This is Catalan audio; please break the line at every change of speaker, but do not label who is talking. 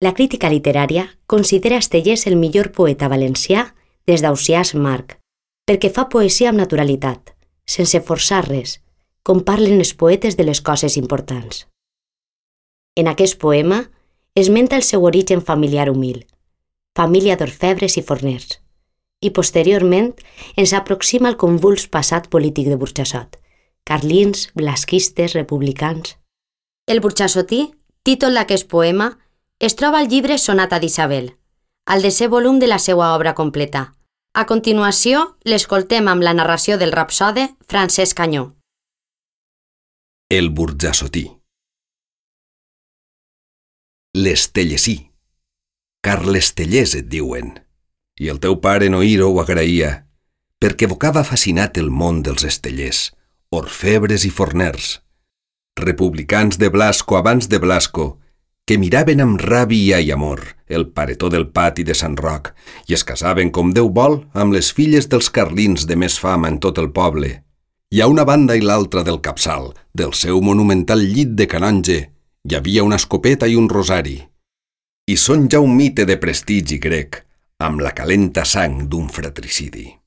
La crítica literària considera Estellés el millor poeta valencià des d'Ausiàs Marc, perquè fa poesia amb naturalitat, sense forçar res, com parlen els poetes de les coses importants. En aquest poema esmenta el seu origen familiar humil, família d'orfebres i forners, i posteriorment ens aproxima al convuls passat polític de Burjassot, carlins, blasquistes, republicans. El burjassotí, títol d'aquest poema, es troba al llibre Sonata d'Isabel, al desè volum de la seva obra completa. A continuació, l'escoltem amb la narració del rapsode Francesc Canyó.
El burjassotí. L'Estellesí. Carlestellers et diuen, i el teu pare en oir-ho ho agraïa, perquè evocava fascinat el món dels estellers, orfebres i forners, republicans de Blasco abans de Blasco, que miraven amb ràbia i amor el paretó del pati de Sant Roc i es casaven com Déu vol amb les filles dels carlins de més fama en tot el poble. I a una banda i l'altra del capçal, del seu monumental llit de canonge, hi havia una escopeta i un rosari. I són ja un mite de prestigi grec, amb la calenta sang d'un fratricidi.